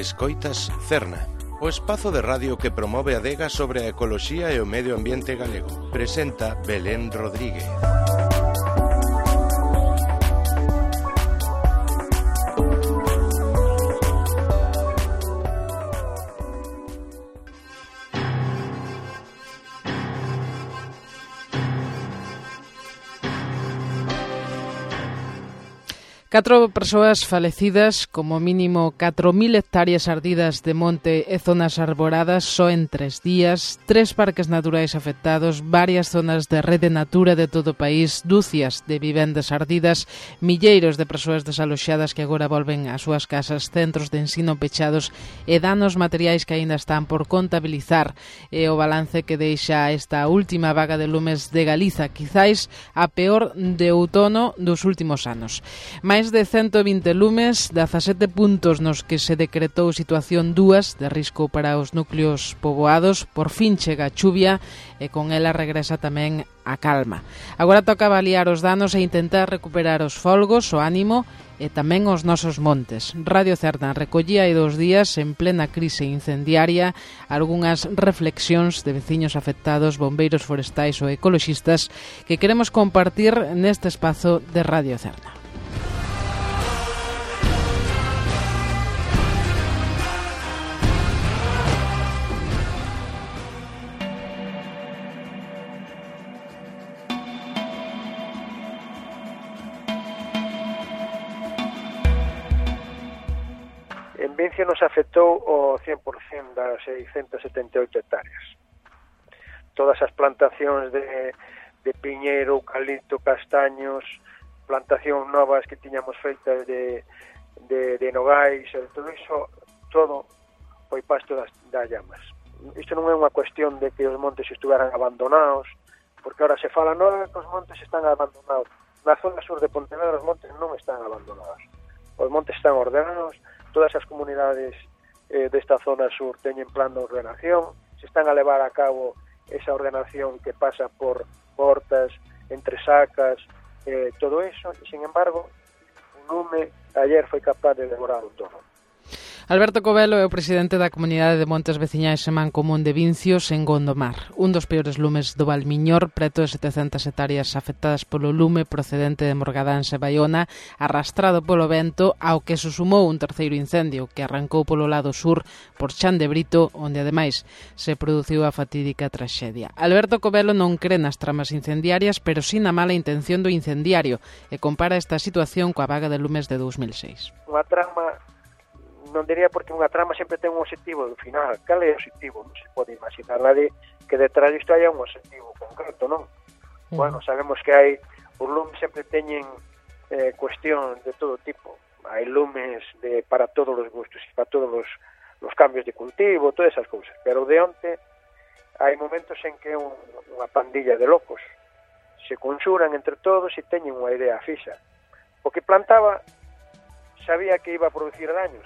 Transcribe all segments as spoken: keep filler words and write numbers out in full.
Escoitas Cerna, o espazo de radio que promove a adega sobre a ecoloxía e o medio ambiente galego. Presenta Belén Rodríguez. Catro persoas falecidas, como mínimo catro mil hectáreas ardidas de monte e zonas arboradas só en tres días, tres parques naturais afectados, varias zonas de rede natura de todo o país, dúcias de vivendas ardidas, milleiros de persoas desaloxadas que agora volven ás súas casas, centros de ensino pechados e danos materiais que aínda están por contabilizar. É o balance que deixa esta última vaga de lumes de Galiza, quizáis a peor de outono dos últimos anos. Mais de ciento vinte lumes, dezasete puntos nos que se decretou situación dúas de risco para os núcleos poboados. Por fin chega a chuvia e con ela regresa tamén a calma. Agora toca avaliar os danos e intentar recuperar os folgos, o ánimo e tamén os nosos montes. Radio Cerna recollía hai dos días, en plena crise incendiaria, algunhas reflexións de veciños afectados, bombeiros forestais ou ecoloxistas que queremos compartir neste espazo de Radio Cerna. En Vincia nos afectou o cen por cento das seiscentas setenta e oito hectáreas. Todas as plantacións de, de piñeiro, eucalipto, castaños, plantacións novas que tiñamos feitas de, de, de nogais, todo iso, todo foi pasto das, das llamas. Isto non é unha cuestión de que os montes estuveran abandonados, porque ahora se fala, non, que os montes están abandonados. Na zona sur de Pontevedra os montes non están abandonados. Os montes están ordenados, todas as comunidades eh, desta zona sur teñen plan de ordenación, se están a levar a cabo esa ordenación que pasa por portas, entre sacas, eh, todo eso, e, sin embargo, o lume ayer foi capaz de devorar o todo. Alberto Covelo é o presidente da Comunidade de Montes Veciñais e Mancomún de Vincios en Gondomar, un dos peores lumes do Valmiñor, preto de setecentas hectáreas afectadas polo lume procedente de Morgadáns e Baiona, arrastrado polo vento, ao que se sumou un terceiro incendio que arrancou polo lado sur por Chan de Brito, onde ademais se produciu a fatídica traxedia. Alberto Covelo non cree nas tramas incendiarias, pero sí na mala intención do incendiario, e compara esta situación coa vaga de lumes de dous mil seis. Unha trama non diría, porque unha trama sempre ten un objetivo do final. Cal é o objetivo? Non se pode imaginar nadie que detrás disto haya un objetivo concreto, non? Mm. Bueno, sabemos que hai, os lumes sempre teñen eh, cuestión de todo tipo. Hai lumes de, para todos os gustos e para todos os, os cambios de cultivo, todas esas cousas. Pero de onte hai momentos en que un, unha pandilla de locos se conxuran entre todos e teñen unha idea fixa. O que plantaba sabía que iba a producir daños.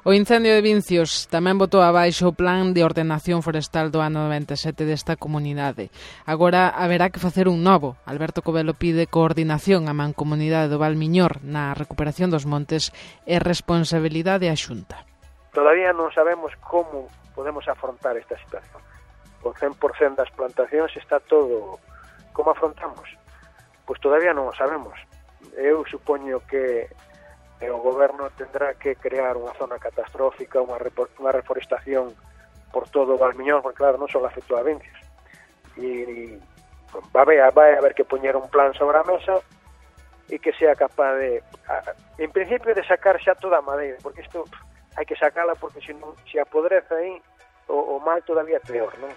O incendio de Vincios tamén botou abaixo o plan de ordenación forestal do ano noventa e sete desta comunidade. Agora haberá que facer un novo. Alberto Covelo pide coordinación á mancomunidade do Valmiñor na recuperación dos montes e responsabilidade á Xunta. Todavía non sabemos como podemos afrontar esta situación. O cen por cento das plantacións está todo... Como afrontamos? Pois todavía non o sabemos. Eu supoño que e o goberno tendrá que crear unha zona catastrófica, unha, unha reforestación por todo o Valmiñor, porque claro, non só afectou a Vincios. E, e vai, haber, vai haber que poñer un plan sobre a mesa e que sea capaz de, a, en principio, de sacar xa toda a madeira, porque isto hai que sacala, porque se, non, se apodrece aí, o, o mal todavía é peor, non?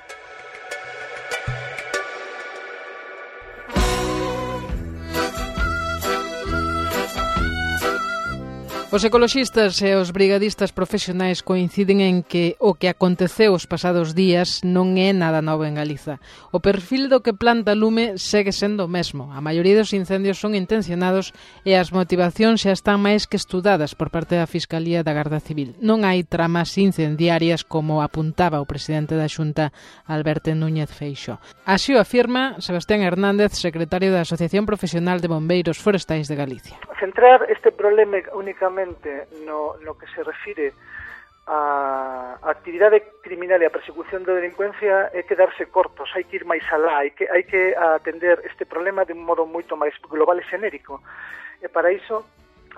Os ecoloxistas e os brigadistas profesionais coinciden en que o que aconteceu os pasados días non é nada novo en Galiza. O perfil do que planta lume segue sendo o mesmo. A maioría dos incendios son intencionados e as motivacións xa están máis que estudadas por parte da Fiscalía da Garda Civil. Non hai tramas incendiarias como apuntaba o presidente da Xunta, Alberto Núñez Feixóo. Así o afirma Sebastián Hernández, secretario da Asociación Profesional de Bombeiros Forestais de Galicia. Centrar este problema únicamente No, no que se refire a actividade criminal e a persecución da delincuencia é quedarse cortos, hai que ir máis alá, hai que, hai que atender este problema de un modo moito máis global e xenérico. E para iso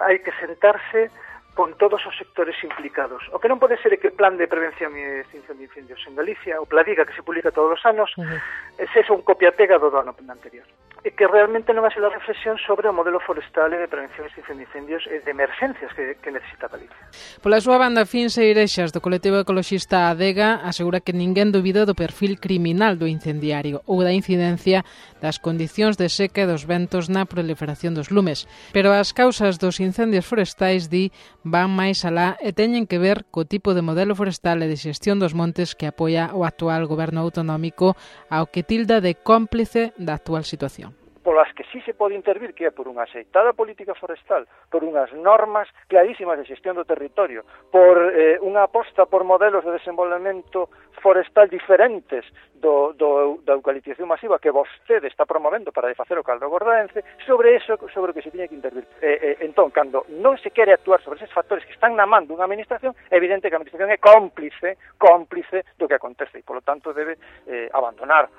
hai que sentarse con todos os sectores implicados. O que non pode ser é que o plan de prevención e extinción de incendios en Galicia, o Pladiga, que se publica todos os anos, uh-huh. é sexa un copia-pega do do ano anterior. E que realmente non hace a reflexión sobre o modelo forestal e de prevención e extinción de incendios e de emergencias que, que necesita Galicia. Pola súa banda, Fins Eirexas, do colectivo ecologista Adega, asegura que ninguén dubida do perfil criminal do incendiario ou da incidencia das condicións de seca e dos ventos na proliferación dos lumes. Pero as causas dos incendios forestais, di, van máis alá e teñen que ver co tipo de modelo forestal e de xestión dos montes que apoia o actual goberno autonómico, ao que tilda de cómplice da actual situación. Polas que sí se pode intervir, que é por unha aceitada política forestal, por unhas normas clarísimas de xestión do territorio, por eh, unha aposta por modelos de desenvolvemento forestal diferentes do, do, da eucaliptización masiva que vostede está promovendo para facer o caldo gordaense, sobre eso sobre o que se tiña que intervir. Eh, eh, entón, cando non se quere actuar sobre esos factores que están na man dunha administración, é evidente que a administración é cómplice, cómplice do que acontece e, polo tanto, debe eh, abandonar.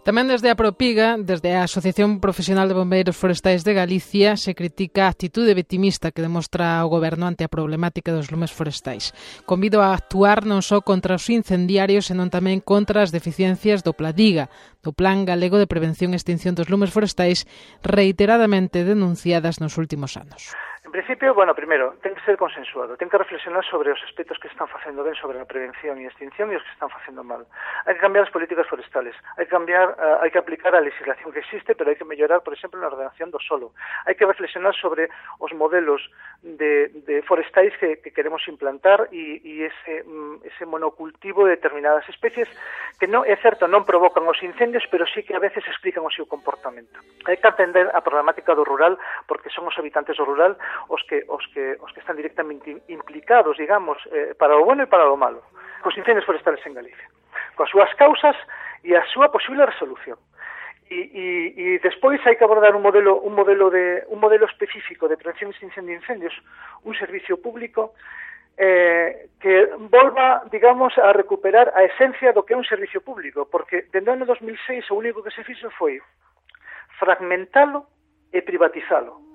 Tamén desde a Propiga, desde a Asociación Profesional de Bombeiros Forestais de Galicia, se critica a actitude vitimista que demostra o goberno ante a problemática dos lumes forestais. Convido a actuar non só contra os incendiarios, senón tamén contra as deficiencias do Pladiga, do Plan Galego de Prevención e Extinción dos Lumes Forestais, reiteradamente denunciadas nos últimos anos. En principio, bueno, primeiro, ten que ser consensuado, ten que reflexionar sobre os aspectos que están facendo ben sobre a prevención e extinción e os que están facendo mal. Hai que cambiar as políticas forestales, hai que cambiar, uh, hai que aplicar a legislación que existe, pero hai que mellorar, por exemplo, na ordenación do solo. Hai que reflexionar sobre os modelos de, de forestais que, que queremos implantar e, e ese, um, ese monocultivo de determinadas especies que non, é certo, non provocan os incendios, pero sí que a veces explican o seu comportamento. Hai que atender a problemática do rural, porque son os habitantes do rural os que os que os que están directamente implicados, digamos, eh, para o bueno e para o malo, cos incendios forestales en Galicia, coas súas causas e a súa posible resolución. E, e, e despois hai que abordar un modelo un modelo de un modelo específico de prevención e extinción de incendios, un servicio público eh, que volva, digamos, a recuperar a esencia do que é un servicio público, porque dende o ano dos mil seis o único que se fixo foi fragmentalo e privatizalo.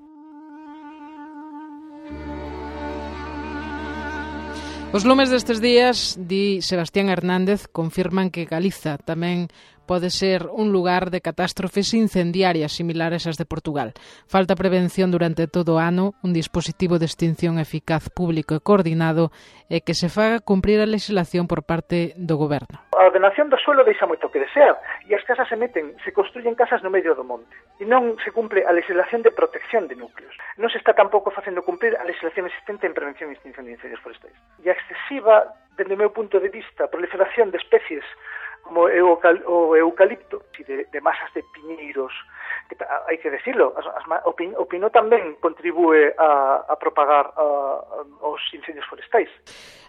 Os lumes destes días, di Sebastián Hernández, confirman que Galiza tamén pode ser un lugar de catástrofes incendiarias similares ás de Portugal. Falta prevención durante todo o ano, un dispositivo de extinción eficaz público e coordinado e que se faga cumprir a legislación por parte do goberno. A ordenación do suelo deixa moito que desear e as casas se meten, se construyen casas no medio do monte e non se cumple a legislación de protección de núcleos. Non se está tampouco facendo cumprir a legislación existente en prevención e extinción de incendios forestais. E a excesiva, dende o meu punto de vista, proliferación de especies como o eucalipto e de, de masas de piñeiros, que hai que decirlo, as, as, o, pin, o pino tamén contribúe a, a propagar a, a, os incendios forestais.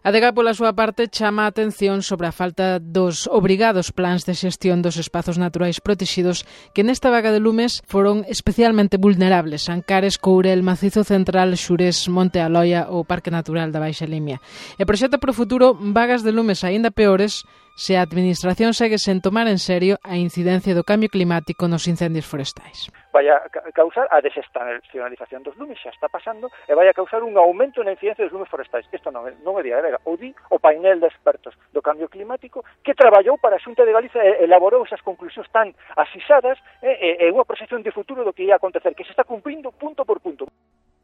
A Adega, pola súa parte, chama a atención sobre a falta dos obrigados plans de xestión dos espazos naturais protexidos que nesta vaga de lumes foron especialmente vulnerables: Ancares, Courel, Macizo Central, Xurés, Monte Aloia ou Parque Natural da Baixa Limia. E proxecta para o futuro vagas de lumes aínda peores se a Administración segue sen tomar en serio a incidencia do cambio climático nos incendios forestais. Vai a causar a desestacionalización dos lumes, xa está pasando, e vai a causar un aumento na incidencia dos lumes forestais. Isto non é, non é de Adega, o di o painel de expertos do cambio climático que traballou para a Xunta de Galicia e elaborou esas conclusións tan asisadas e, e, e unha proxección de futuro do que ia acontecer, que se está cumprindo punto por punto.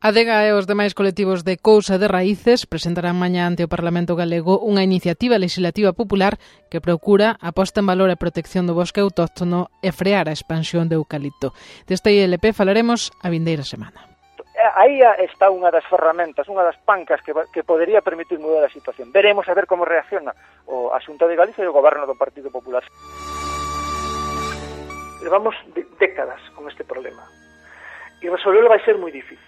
Adega e os demais colectivos de Cousa de Raíces presentarán mañá ante o Parlamento Galego unha iniciativa legislativa popular que procura a posta en valor e protección do bosque autóctono e frear a expansión do eucalipto. Deste I L P falaremos a vindeira semana. Aí está unha das ferramentas, unha das pancas que, que podería permitir mudar a situación. Veremos a ver como reacciona o a Xunta de Galicia e o Goberno do Partido Popular. Levamos décadas con este problema e resolverlo vai ser moi difícil.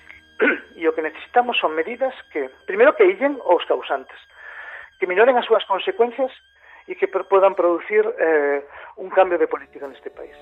E o que necesitamos son medidas que, primeiro, que illen os causantes, que minoren as súas consecuencias e que podan producir eh, un cambio de política neste país.